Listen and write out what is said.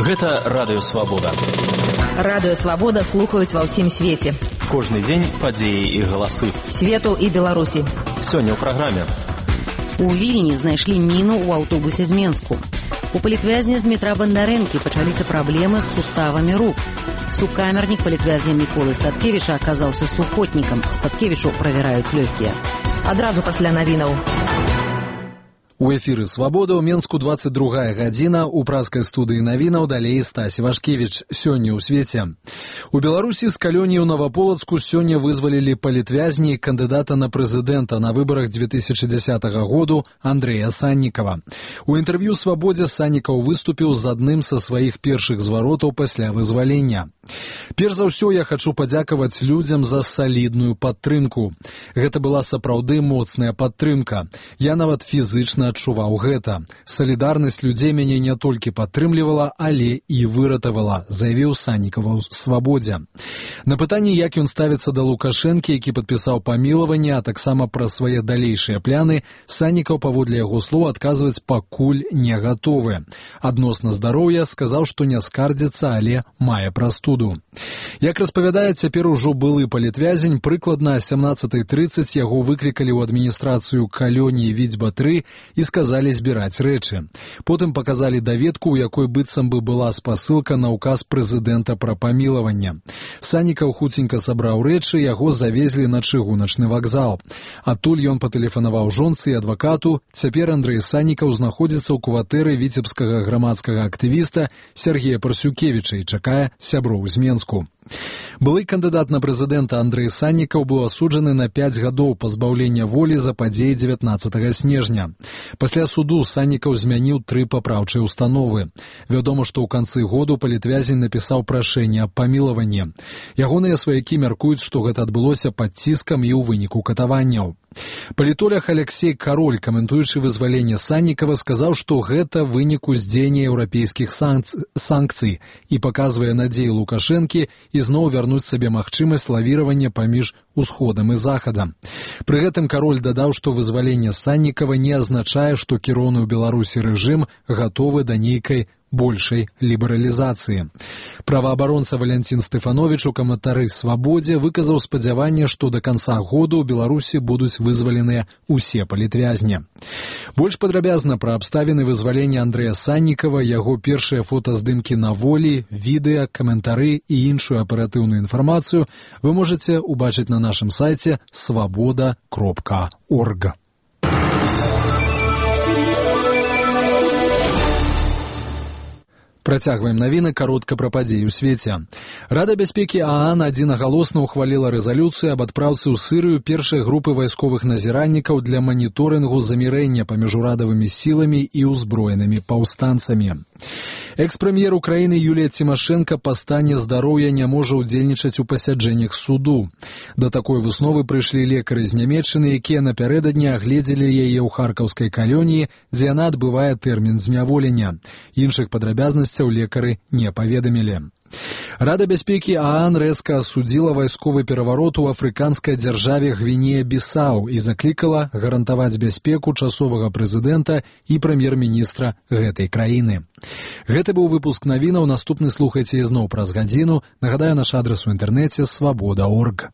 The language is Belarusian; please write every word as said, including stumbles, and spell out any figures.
Гэта Радыё Свабода. Радыё Свабода слухаюць ва ўсім свеце. Кожны дзень падзеі і галасы. Свету і Беларусі. Сёння ў праграме. У Вільні знайшлі міну ў аўтобусе з Менску. У палітвязня з метра Бандарэнкі пачаліся праблемы з суставамі рук. Сукамернік палітвязня Міколы Статкевіча аказаўся сухотнікам. Статкевічу правяраюць лёгкія. Адразу пасля навінаў. У эфіры «Свабода» ў Менску двадцать другая гадзіна, у празкай студыі навінаў далей Стась Івашкевіч. Сёння ў свеце. У Беларусі з калоніі ў Наваполацку сёння вызвалілі палітвязні кандыдата на прэзідэнта на выбарах две тысячи десятого году Андрэя Саннікава. У інтэрв'ю «Свабодзе» Саннікаў выступіў з адным са сваіх першых зваротаў пасля вызвалення. Перш за ўсё я хачу падзякаваць людзям за салідную падтрымку. Гэта была сапраўды моцная падтрымка. Я нават фізычна адчуваў гэта. Салідарнасць людзей мяне не толькі падтрымлівала, але і выратавала, заявіў Саннікаў у «Свабодзе». На пытанне, як ён ставіцца да Лукашэнкі, які падпісаў памілаванне, а таксама пра свае далейшыя пляны, Саннікаў, паводле яго слоў, адказваць пакуль не гатовы. Адносна здароўя сказаў, што не скардзіцца, але мае прастуду. Як распавядае цяпер ужо былы палітвязень, прыкладна о сямнадцатай трыццаць яго выклікалі ў адміністрацыю калоніі Відзьба тры і сказалі збіраць рэчы. Потым паказалі даведку, у якой быццам бы была спасылка на ўказ прэзідэнта пра памілаванне. Саннікаў хуценька сабраў рэчы, яго завезлі на чыгуначны вакзал. Адтуль ён патэлефанаваў жонцы і адвакату. Цяпер Андрэй Саннікаў знаходзіцца ў кватэры віцебскага грамадскага актывіста Сергея Парсюкевіча і чакае сяброў з Менску. Былы кандыдат на прэзідэнта Андрэй Саннікаў быў асуджаны на пяць гадоў пазбаўлення волі за падзеі дзевятнаццатага снежня. Пасля суду Саннікаў змяніў тры папраўчыя установы. Вядома, што ў канцы году палітвязень напісаў прашэнне аб памілаванні. Ягоныя сваякі мяркуюць, што гэта адбылося пад ціскам і ў выніку катаванняў. Палітолог Алексей Кароль, каментуючы вызваленне Саннікава, сказаў, што гэта вынік уздзеяння еўрапейскіх санкцый і паказвае надзею Лукашэнкі ізноў вярнуць сабе магчымасць лавіравання паміж усходам і захадам. Пры гэтым Кароль дадаў, што вызваленне Саннікава не азначае, што кіроўны ў Беларусі рэжым гатовы да нейкай большай лібералізацыі. Праваабаронца Валянцін Стэфановіч у каментары «Свабодзе» выказаў спадзяванне, што да канца году ў Беларусі будуць вызваленыя ўсе палітвязні. Больш падрабязна пра абставіны вызвалення Андрэя Саннікава, яго першыя фотаздымкі на волі, відэа, каментары і іншую аператыўную інфармацыю вы можаце убачыць на нашым сайце свабода кропка орг. Працягваем навіны, каротка пра падзеі ў свеце. Рада бяспекі ААН адзінагалосна ўхваліла рэзалюцыю аб адпраўцы ў Сырыю першай групы вайсковых назіральнікаў для маніторынгу замірэння паміж урадавымі сіламі і ўзброенымі паўстанцамі. Экс-прэм'ер Украіны Юлія Цімашэнка па стане здароўя не можа ўдзельнічаць у пасяджэннях суду. Да такой высновы прыйшлі лекары з Нямецчыны, якія напярэдадні агледзелі яе ў харкаўскай калоніі, дзе яна адбывае тэрмін зняволення. Іншых падрабязнасцяў лекары не паведамілі. Рада бяспекі ААН рэзка асудзіла вайсковы пераварот у афрыканскай дзяржаве Гвінея-Бісау і заклікала гарантаваць бяспеку часовага прэзідэнта і прэм'ер-міністра гэтай краіны. Гэта быў выпуск навінаў, наступны слухайце ізноў праз гадзіну. Нагадаю, наш адрас у інтэрнэце свабода кропка орг.